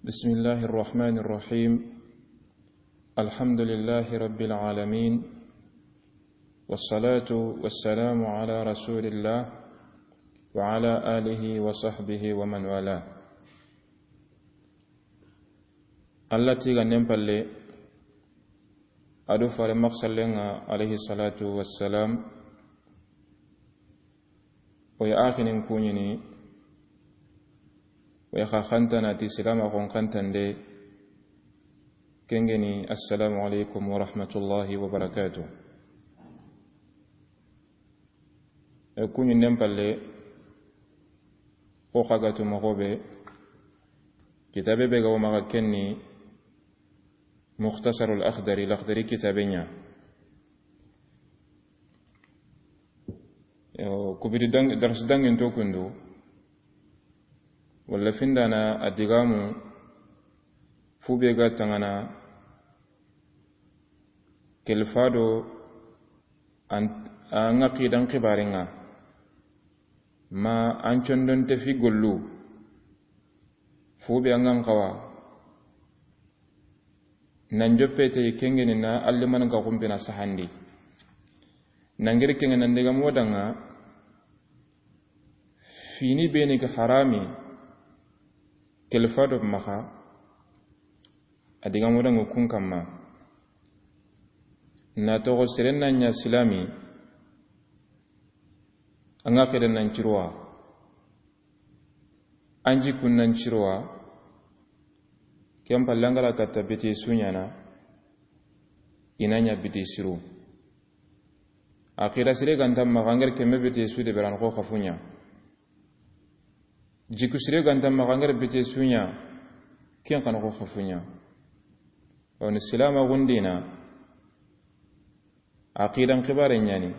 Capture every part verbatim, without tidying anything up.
بسم الله الرحمن الرحيم. الحمد لله رب العالمين. والصلاة والسلام على رسول الله وعلى آله وصحبه ومن والاه. Alla tigannen palle, a do fare maxsallen ŋa, alayhi salatu wassalam, o ya axinin kuɲini, o ya xa xantana ti silama xon xantande, kengeni, assalamu alaikum wa rahmatullahi wa barakatuh. E kuɲinden palle, o xagatu moxo be, kitabe be ga wo maxa kenni, Mukhtasarul Akhdari, Lakhdari kitabe ɲa. Yo, kubidi dang-, darsi dangin to kundu. Walla findana a digamu fu be ga tangana kelfado an, an aqidan xibaringa. Ma an condon te fi gollu. Fu be an gan xawa. Nan joppe te kengeni na alliman ga kumpina sahandi. Nangiri kengen nan diga modanga fini beni ga harami kelfado maxa. A diga modanga kun kamma. Na toxo seren na ɲa silami. An ga xeden nan cirowa. An jikkun nan cirowa, ken palle an ga ra katta bete suɲana, i na ɲa bete siru. Aqida sire ganta maxa an ga ra kemme bete su de beran xo xafuɲa. Jikku sire ganta maxa an ga ra bete suɲa, ken xana xo xafuɲa. Woni silama gundina, Aqidan xibare ɲani,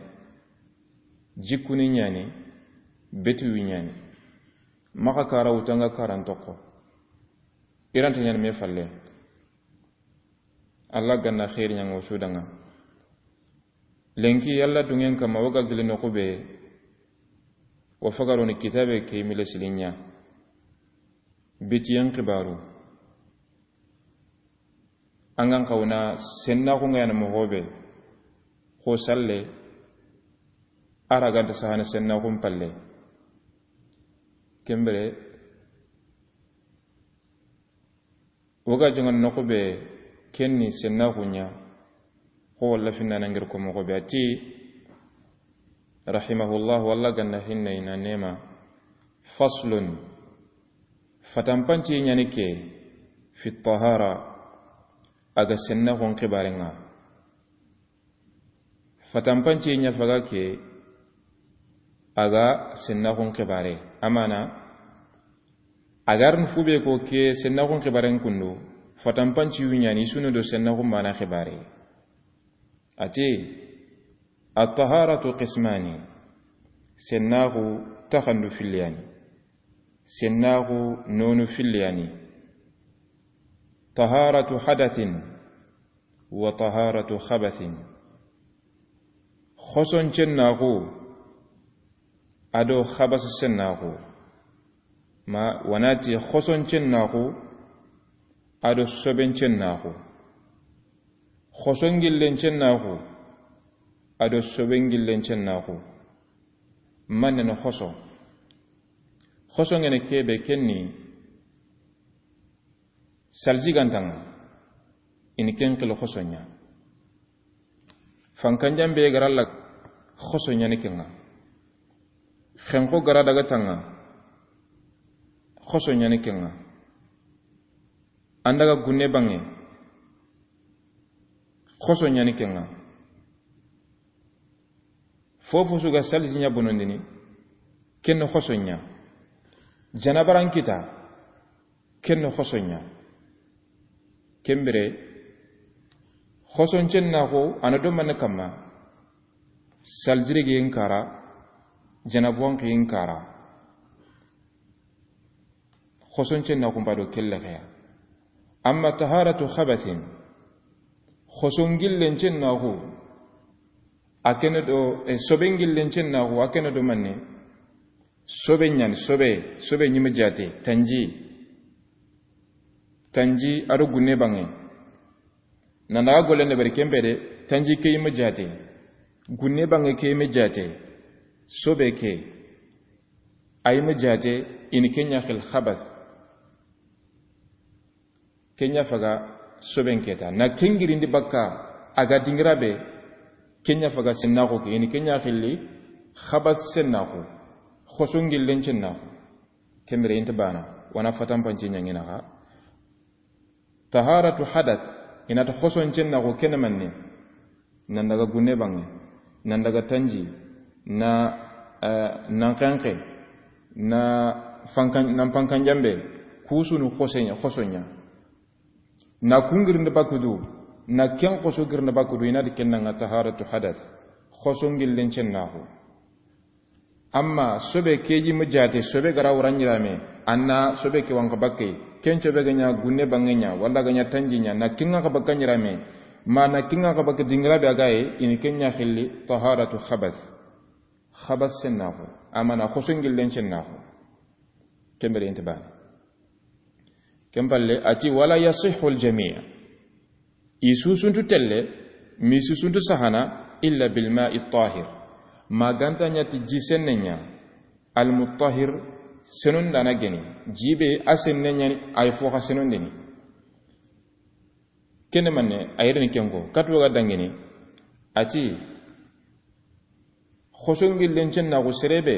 jikkuni ɲani, betuwi ɲani. Maxa kara wutanga karan toxo. Iranta ɲani me falle. Allah ganna xeeri ɲango sudanga. Lenki Allah dungen kama woga gili noxu be. Wo fagaroni kitabe ke mile silinya. Bitiyen xibaru. An gan xawna sennaxu nga yana moxo be, xo salle, a ra ganta sahana sennaxun palle. Kembere, woga jongan noxu be, kenni sennaxu ɲa, xo walla finna nangir ko moxo be. A ti, rahimahullah, walla ganna hinna ina nema. Faslun, fatampanci ɲani ke, fi tahara, a ga sennaxun xibaren ŋa. Fatampanci ɲa faga ke, a ga sennaxun xibare. Amana, a ga rin fu be ko ke sennaxun xibaren kundu, fatampanci yu ɲani sunu do sennaxun mana xibare. A ti, At-taharatu qismani. Sennaxu taxandu filliyani. Sennaxu nonu filliyani. Taharatu hadathin wa taharatu khabathin. Xoson cennaxu a do xabasu sennaxu. Ma wanati xoson cennaxu a do soben cennaxu. Xoson gillen cennaxu a do soben gillen cennaxu. Manen xoso. Xoso ngene kebe kenni salji gantanga. Ini ken xil xoso ɲa. Fankanjan be garalla xoso ɲani kenga. Xenxo gara daga tanga xoso ɲani kenga. An daga gunne bange xoso ɲani kenga. Fofo su ga salji ɲa bonondini, ken xoso ɲa. Janabaran kita, ken xoso ɲa. Kembere, xoson cennaxu a na do manne kamma, saljirigi in kara, janabuwan ki in kara. Xoson cennaxu mba do kelle xeya. Amma taharatu khabathin, xoson gillen cennaxu, a kene do, e, soben gillen cennaxu, a kene do manne. Sobe ɲani, sobe, sobe ɲimi jate, tanji. Tanji a do gunne banŋe. Nan daga gollen deberi ken be de, tanji ke yi ma jaate. Gunne banŋe ke yi ma jaate. Sobe ke. A yi ma jaate, i ni ken ɲa xil xabath. Ken ɲa faga soben ke ta. Na ken girindi bakka, a ga dingira be, ken ɲa faga sennaxu ke, i ni ken ɲa xilli xabath sennaxu. Xoson gillen cennaxu. Ken bire i nta bana, wa na fatanpanci ɲaŋi naxa. Taharatu hadath, i na ti xoson cennaxu ken ni manne. Nan daga gunne banŋe, nan daga tanji, na, eh, nan xenxe, na fankan, nan pankan jambe, ku su nu xosen-, xoson ɲa. Na kun girindi bakudu, na ken xoso girindi bakudu, i na ti ken naŋa taharatu hadath, xoson gillen cennaxu. Amma sobe ke yi ma jaate, sobe ga ra wara ɲirame, an na sobe ke wanka bakke, ken sobe ga ɲa gunne banŋe ɲa, walla ga ɲa tanji ɲa, na ken ŋa ka bakka ɲirame, ma na ken ŋa ka bakka dingira be a ga yi, i ni ken ɲa xilli taharatu xabath. Xabath sennaxu, amma na xoson gillen cennaxu. Ken bire i nta bana. Ken palle, a ti, "Wala yasihhu al-jami'." I susuntu telle, mi susuntu sahana, "illa bil ma'i tahir." Ma ga nta ɲa ti ji senne ɲa, al-mutahhir, senondana geni. Ji be a senne ɲa ni, a yi fo xa senondini. Ken ni manne, a yere ni ken ko. Katu ga dangini, a ti, xoson gillen cennaxu sere be,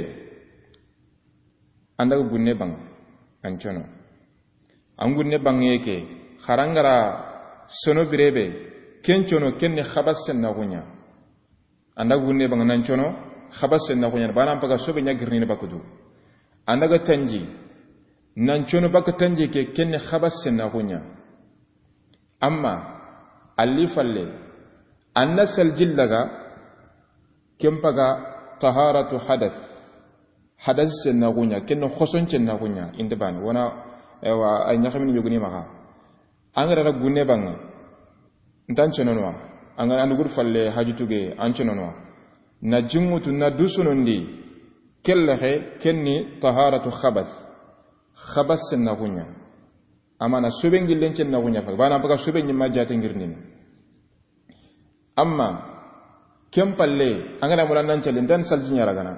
an daga gunne banŋe, an cono. An gunne banŋe ke, xa ra ga ra sono bire be, ken cono, ken ni xabath sennaxu ɲa. An daga gunne banŋe nan cono, xabath sennaxu ɲa. Bana paga sobe ɲa girnini bakudu. An daga tanji, nan cono bakka tanji ke, ken ni xabath sennaxu ɲa. Amma, alli falle, an na salji laga, ken paga taharatu hadath. Hadath sennaxu ɲa, ken ni xoson cennaxu ɲa, i nta bana. Wa na, ewa, a ɲaxamini yogoni maxa. An ga ra gunne banŋe, ntan conono wa. An ga ra an dugudu falle haju tuge, an conono wa. Na jinŋutu, na du sonondi, kelle xe, ken ni taharatu xabath. Xabath sennaxu ɲa. Amma na soben gillen cennaxu ɲa fa. Bana paga sobe ɲi ma jaate ngirnini. Amma, ken palle, an ga na mula nan calli, ntan salji ɲa ragana.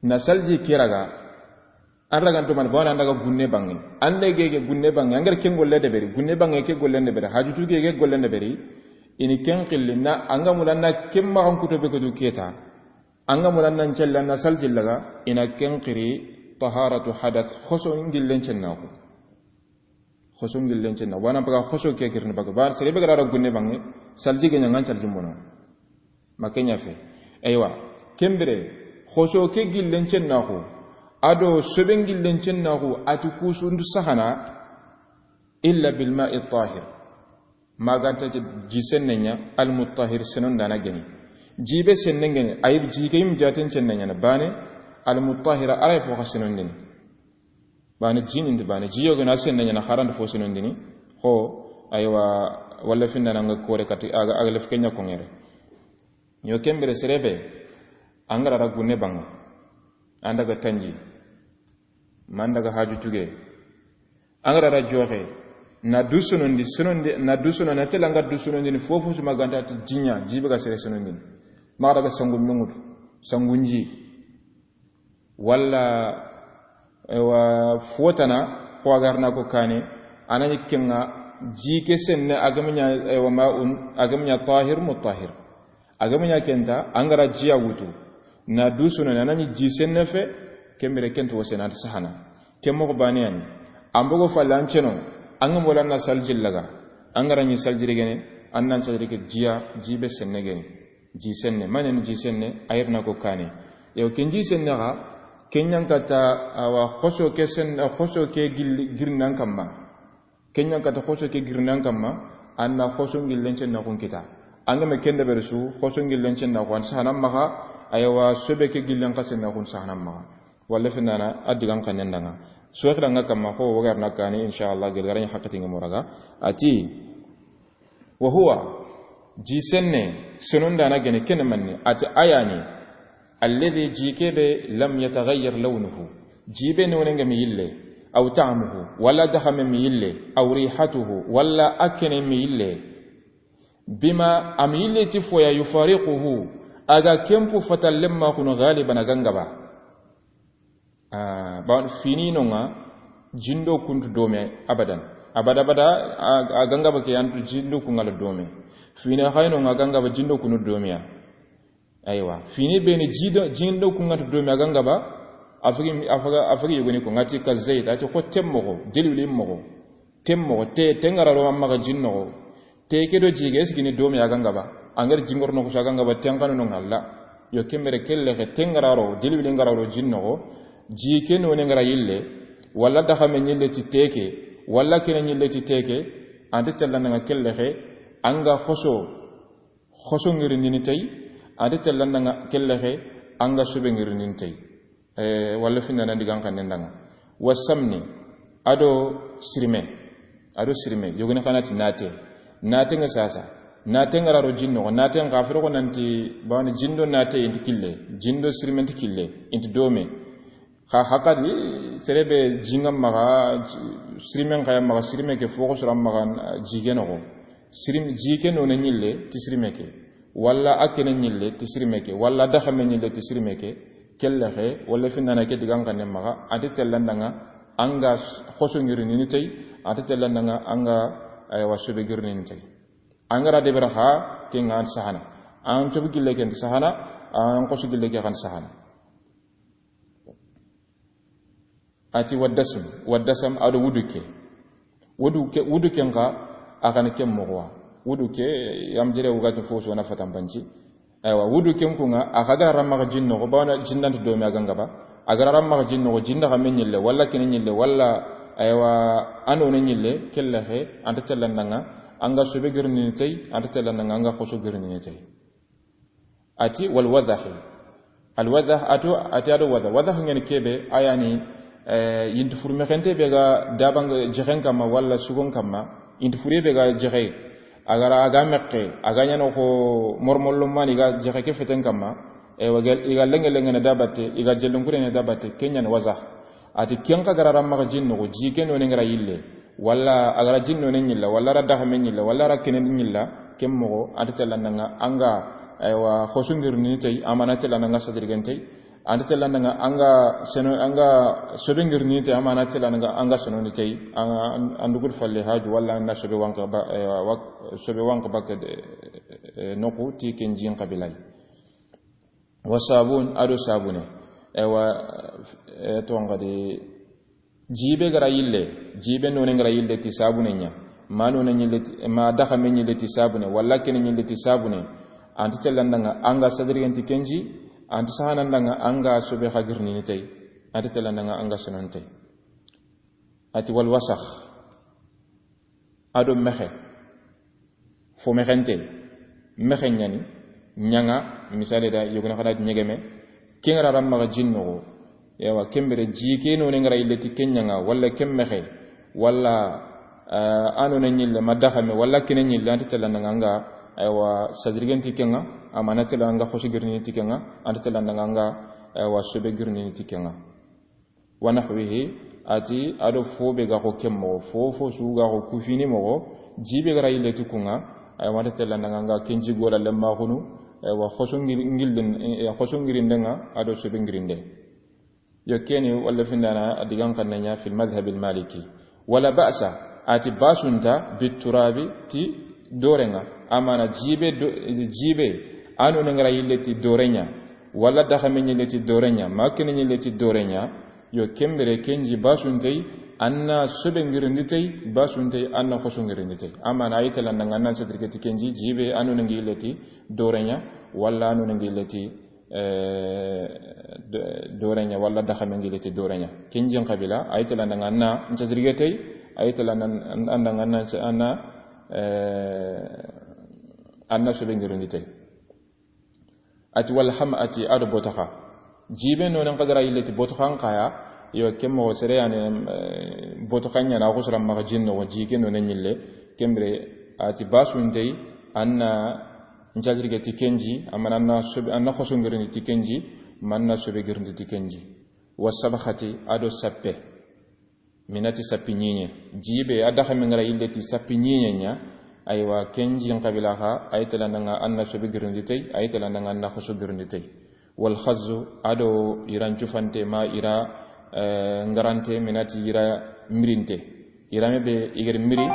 Na salji ke raga, an raganto man, bawana an daga gunne banŋe. An de gege gunne banŋe, an ga ra ken golle deberi, gunne banŋe ke golle deberi, haju tuge ke golle deberi, i ni ken xilli, na an ga mula na ken maxan kuto be ko du ke ta. An ga mula nan calli, an na salji laga, i na ken xiri taharatu hadath, xoson gillen cennaxu. Xoson gillen cennaxu. Wa na paga xoso ke girni baga. Ba sere be ga ra gunne banŋe, salji ga ɲa ŋa an salji mono. Ma ken ɲa fe. Eywa, ken bire, xoso ke gillen cennaxu, a do soben gillen cennaxu, a ti ku su ndu sahana, illa bil ma'i tahir. Ma ga nta ti ji senne ɲa, al-mutahhir, senondana geni. Ji be senne geni, a yi ji ke yi ma jaaten senne ɲa na bane, al-mutahhira, a ra yi fo xa senondini. Bane ji ni nta bane, ji yogo na senne ɲa na, xa ra nta fo senondini. Xo, aywa, walla finna na ŋa kore kati, a ga, a ga lef ke ɲa ko ŋere. Yo ken bire sere be, an ga ra gunne banŋe, an daga tanji, ma an daga haju tuge, an ga ra joxe, na du sonondi, sonondi, na du sonondi, na tela an ga du sonondi ni fofo su ma ga nta ti ji ɲa, ji be ga sere senondini. Ma daga sangu mengudu, sangu nji. Walla, ewa, fotana, xo a ga ra na ko kane, a na ɲi ken ŋa, ji ke senne, a ga ma ɲa, ewa, ma'un, a ga ma ɲa tahir, mutahhir. A ga ma ɲa ken ta, an ga ra ji ya wutu. Na du sono, na ɲi ji senne fe, ken bire ken to sene an ta sahana. Ken moxo bane ya ni. An bogo falle an ceno, an ga mola na salji laga. An ga ra ɲi salji gene, an nan salji ke ji ya, ji be senne gene. Ji senne, ma ɲa ni ji senne, a yere na ko kane. Yo, ken ji senne ga, ken ɲa n kata, awa, xoso ke sen-, xoso ke gil-, girnan kamma. Ken ɲa n kata xoso ke girnan kamma, an na xoso gillen cennaxun kita. An ga me ken deberi su, xoso gillen cennaxu, an sahanan maxa, aywa, sobe ke gillen xa sennaxun sahanan maxa. Walla finna na, a digan xannen da ŋa. Soxi da ŋa kamma, xo, wa ga ra na kane, inshallah, gel ga ra ɲi haqqati ŋa moraga. A ti, Wa huwa, ji senne, senondana gene ken ni manne, a ti a ya ni, alladhi, ji ke be, lam yataghayyar lawnuhu, ji be nonen ga mi yille, أو طعمه, walla daxame mi yille, أو ريحته, walla a kene mi yille, بما, a mi yille ti fo ya, يفارقه, a ga ken pu fatalle maxunu, غالبا, a ga ŋa ba. Ah, ba fini no ŋa, jindo kuntu dome abadan. Abada, abada, a, a ga ŋa ba ke antu jindo ku ŋa la dome. Fini xay no ŋa, a ga ŋa ba jindo kunu dome ya. Aywa, fini be ni jido, jindo ku ŋa tu dome, a ga ŋa ba, a fagi, a faga, a fagi yogoni ko ŋa ti كالزيت, a ti xo ten moxo, deliwli moxo. Ten moxo, te, te ŋa ra ro maxa jin noxo. Te ke do ji ke, est-ce que ni dome ya ga ŋa ba? A ŋa ri jingor noxo su, a ga ŋa ba, ten xanu no ŋa la. Yo, ken bire ke lexe, te ŋa ra ro, deliwli ŋa ra ro jin noxo. Ji ke none ŋa ra yille, walla daxame ɲille ti te ke, walla kene ɲille ti te ke, a nta tella na ŋa ke lexe, a ŋa xoso, xoso ŋirindini tey, a nta tella na ŋa ke lexe, a ŋa sobe ŋirindini tey. Eh, walla finna nan digan xannen da ŋa. والسمن, a do sirime. A do sirime. Yogoni xa na ti nate. Nate ŋa sasa. Nate ŋa ra ro jin noxo. Nate ŋa xa furo ko nanti, bawni jindo nate inti kille. Jindo sirime inti kille. Inti dome. Xa haxa di, sere be ji ŋa maxa, sirime ŋa ya maxa, sirime ke fo xo sura maxa, ji ke noxo. Sirim-, ji ke none ɲille ti sirime ke, walla a kene ɲille ti sirime ke, walla daxame ɲille ti sirime ke, ke lexe, walla finna na ke digan xannen maxa, a nta tella na ŋa a ŋa xoso ŋirindini tey, a nta tella na ŋa a ŋa, aywa, sobe ŋirindini tey. A ŋa ra debe ra xa, ke ŋa an sahana. An tobi gille ke nta sahana, an xoso gille ke xa nta sahana. A ti والدسم, والدسم a do wuduke. Wuduke, wuduke ŋa, a xa ni ken moxo wa. Wuduke, yam jere wugati fo so na fatan banci. Aywa, wuduke ku ŋa, a xa ga ra maxa jin noxo, bawna jin nta dome ya ga ŋa ba. A ga ra maxa jin noxo, jin daxame ɲille, walla kene ɲille, walla, aywa, a none ɲille, ke lexe, a nta tella na ŋa a ŋa sobe ŋirindini tey, a nta tella na ŋa a ŋa xoso ŋirindini tey. A ti والوضح. الوضح, a to, a ti a do wadah. Wadah ŋa ni ke be, a ya ni, eh, yinti furu mexente be ga daban ga jexen kamma walla sugon kamma, yinti furu be ga jexe. A ga ra a ga mexe, a ga ɲa no xo mormollo mani ga jexe ke feten kamma, e wa ga, i ga lenge lenge na dabate, i ga jellun kure na dabate, ke ɲa ni wadah. A ti ken xa ga ra maxa jin noxo, ji ke none ŋa ra yille, walla a ga ra jin none ɲilla, walla a ra daxame ɲilla, walla a ra kene ɲilla, ken moxo, a nta tella na ŋa a ŋa, aywa, xoso ŋirindini tey, a ma na tella na ŋa sadirgen tey, a nta tella na ŋa a ŋa seno, a ŋa sobe ŋirindini tey, a ma na tella na ŋa a ŋa senoni tey, a ŋa an, an dugut falle haju, walla a na sobe wanka ba, aywa, wak-, sobe wanka ba ke de, eh, noxu ti ken jin xabilay. والصابون, a do sabune. Ewa, eh, to ŋa di, ji be ga ra yille, ji be none ŋa ra yille ti sabune ɲa, ma none ɲille ti, ma daxame ɲille ti sabune, walla kene ɲille ti sabune, a nta tella na ŋa a ŋa sadirgen ti ken ji, a nta sahana na ŋa a ŋa sobe xa ŋirindini tey, a nta tella na ŋa a ŋa senoni tey. A ti والوسخ. A do mexe. Fo mexente. Mexe ɲa ni, ɲaŋa, misali da, yogoni xa na ti ɲegeme. Ke ŋa ra maxa jin noxo. Ewa, ken bire ji ke none ŋa ra yille ti ke ɲaŋa, walla ke mexe, walla, eh, a none ɲille, ma daxame, walla kene ɲille, a nta tella na ŋa a ŋa, aywa, sadirgen ti ke ŋa, a ma na tella na ŋa xoso ŋirindini ti ke ŋa, a nta tella na ŋa a ŋa, aywa, sobe ŋirindini ti ke ŋa. ونحوه, a ti a do fo be ga xo ken moxo, fo fo su ga xo ku fini moxo, ji be ga ra yille ti ku ŋa, aywa, a nta tella na ŋa a ŋa ken ji gola le maxunu, aywa, xoso ŋir-, ŋillen, eh, xoso ŋirinde ŋa, a do sobe ŋirinde. Yo, keni walla findana a digan xanne ɲa في المذهب المالكي. ولا بأس, a ti basu nta, بالتراب, ti dore ŋa. A ma na ji be do, ji be, a none ŋa ra yille ti dore ɲa, walla daxame ɲille ti dore ɲa, ma kene ɲille ti dore ɲa, yo, ken bire ken ji basu ntey, a na sobe ŋirindi tey, basu ntey, a na xoso ŋirindi tey. A ma na a yi tella na ŋa a na sadirge ti ken ji, ji be a none ŋa yille ti dore ɲa, walla a none ŋa yille ti eh, do-, dore ɲa, walla daxame ŋa yille ti dore ɲa. Ken jin xabila, a yi tella na ŋa a na nta jirge tey, a yi tella na, an-, an da ŋa a na, a na, eh, a na sobe ŋirindi tey. A ti والحمأة, a ti a do botoxa. Ji be nonen xa ga ra yille ti botoxan xa ya, yo, ken moxo sere ya ni, eh, botoxan ɲa na, a xosora maxa jin noxo, ji ke nonen ɲille, ken bire, a ti basu ntey, a na nta jirge ti ken ji, a ma na, a na sobe, a na xoso ŋirindi ti ken ji, ma a na sobe ŋirindi ti ken ji. والصبخة, a do sappe. Minati sappi ɲiɲe. Jibe a daxa mingara yille ti sappi ɲiɲe ɲa. Aywa, ken jin xabila xa, ay tala nanga anna sobe girindi tey, ay tala nanga anna xoso girindi tey. Wal khazzu, ado iran cufante ma ira, eh, ngarante minati ira mirinte. Irame be igar miri,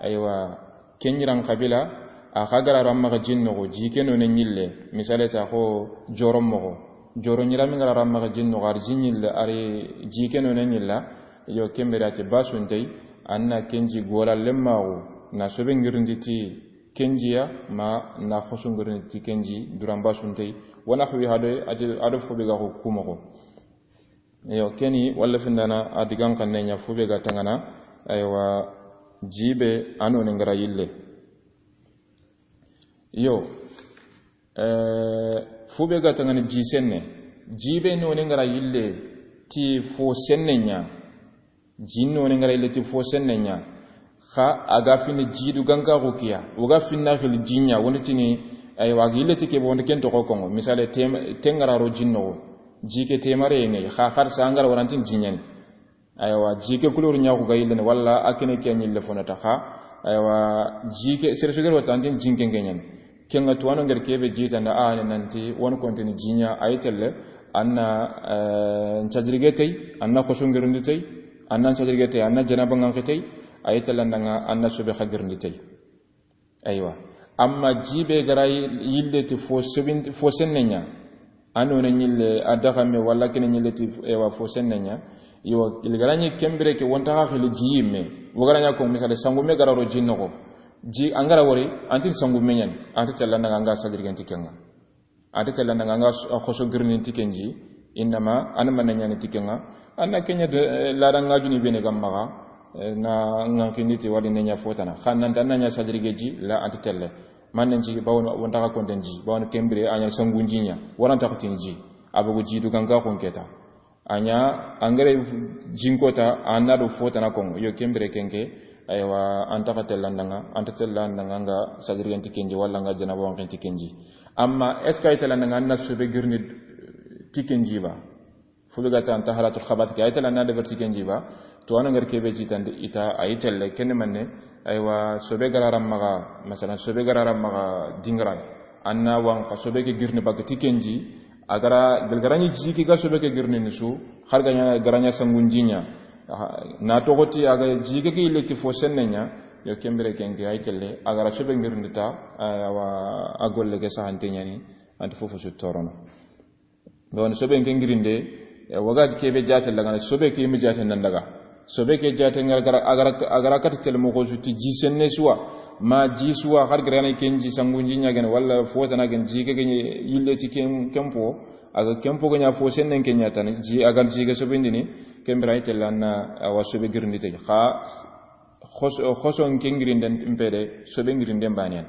aywa, ken iran xabila, a xa gara ramma ga jinno go, jike no ne ɲille, misale ta xo joro mogo. Joro ɲirami ngara ramma ga jinno go, ar jinyille, ari jike no ne ɲilla, yo kembere ati basuntey, anna kenji gola lemmago, na sobe ngirindi ti kenjiya, ma na xosu ngirindi ti kenji, duran basuntey, wana xwi hado, ati ado fobe ga ko kumogo. Yo, keni, walla findana, a digan kanne ɲa, fobe ga tangana, aywa, jibe, ano ne ngara yille. Yo, eh, fobe ga tangana ji senne. Jibe no ne ngara yille, ti fo senne ɲa. Jinno ne ngara yille ti fo senne ɲa. Xa a ga fini jidu ganka ko kiya. O ga finna xil jinya, woni tini, aywa, a ga yille ti ke bo, woni ken to ko kongo. Misale, tem-, tengara ro jinno go. Jike temare ngai, xa xar sa ngara warantin jinyani. Aywa, jike kulur ɲa ko ga yille ne, walla a kene ke ɲille fonata xa. Aywa, jike, sere sugero tantin jinke ngenyen. Kenga tuwano nger kebe jitanda a ne nanti, won konteni jinya ay telle, anna, eh, ncajirige tey, anna xosu ngirindi tey, anna ncajirige tey, anna janaba nganke tey, ay telle nanga anna sobe xa girindi tey. Aywa. Amma jibe gara yille ti fo sebin-, fo senne ɲa. Ano ne ɲille, a daxame, walla kene ɲille ti, ewa, fo senne ɲa. Yo, il gara ɲi kembire ke wonta xa xili ji yimme. Wo gara ɲa ko, misale, sangume gara ro jinno go. Ji, angara wori, antin sangume ɲan, anti tella nanga anga sajirgen ti kenga. Ante tella nanga anga s-, a xoso girni ti kenji, innama, an manna ɲani ti kenga. Anna kenya de, eh, lada nga juni bene gam maga, eh, na ngan kindi ti wali ne ɲa fotana. Xan nan tan na ɲa sajirige ji, la ante telle. Mannen ji, bawon wonta ka konden ji, bawon kembire, a ɲa sangun ji ɲa, waranta ko tin ji. Abugu ji du ganga kon keta. A ɲa, angare jinkota, anna do fotana kongo. Yo kembire kenke, aywa, anta ka tella nanga, anta tella nanga nga sajirgen ti kenji, wala nga janaba wanken ti kenji. Amma, est-ce que ay tala nanga anna sobe girni ti kenji ba? Fube gata an taharatul khabath ke, ay tala na de berti kenji ba? To ano ngar kebe jitande ita, ay telle, kene manne, aywa, sobe gararam maga, masalan, sobe gararam maga dingran. Anna wan ka sobe ke girni bag ti kenji, agara, galgarani jiki ga sobe ke girni nisu, har ganya, garanya sangun jinya. Aha, na togoti aga jike ke ile ti fo senne ɲa, yo kembire kenke ay telle, agara sobe ngirindi ta, awa, a golle ke sahante ɲani, anti fofo su torono. Don sobe ke ngirinde, e, waga kebe jate lagana, sobe ke mi jate nan daga. Sobe ke jate ngar gara, agara, agara kat telle mo ko su ti ji senne suwa, ma ji suwa, har garana kenji sangunji ɲa gene, wala fotana gen ji ke gene yille ti ken, kempo, aga kempo ganya fo sennen kenya tan, ji agal ji ke sobe ndini, kembira ay telle anna, awa sobe girindi te. Xa, Xos-, xoson ke ngirinden mpede, sobe ngirinden banen.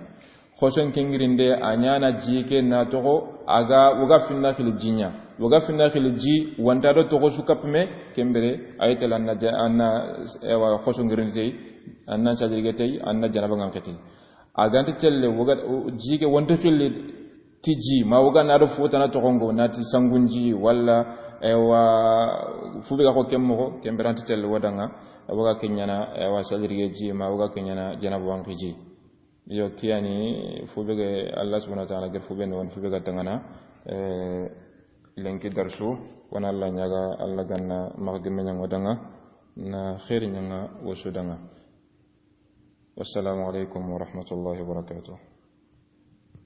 Xoson ke ngirinde, a ɲana ji ke na toxo, aga, woga finna xili ji ɲa. Woga finna xili ji, wanta do toxo su kapme, kembere, ay tala anna ja-, anna, ewa, xoson ngirinde tey, anna sajirige tey, anna janaba ngan xeti. Aganta telle, woga, o, ji ke wanta xili ti ji, ma woga na do fotana toxongo, na ti sangun ji, wala, ewa, fube ga ko kemmo, kembere anta telle wodanga, woga kenyana, ewa, sajirige ji, ma woga kenyana, janaba wanki ji. Yo, kiyani, fube ga, Allah subhanahu wa ta'ala, ger fube no, fube ga tangana, eh, lenki darsu, wana Allah ɲaga, Allah ganna, magdime ɲango danga, na khairi ɲanga, wosu danga. Wassalamu alaikum wa rahmatullahi wa barakatuh.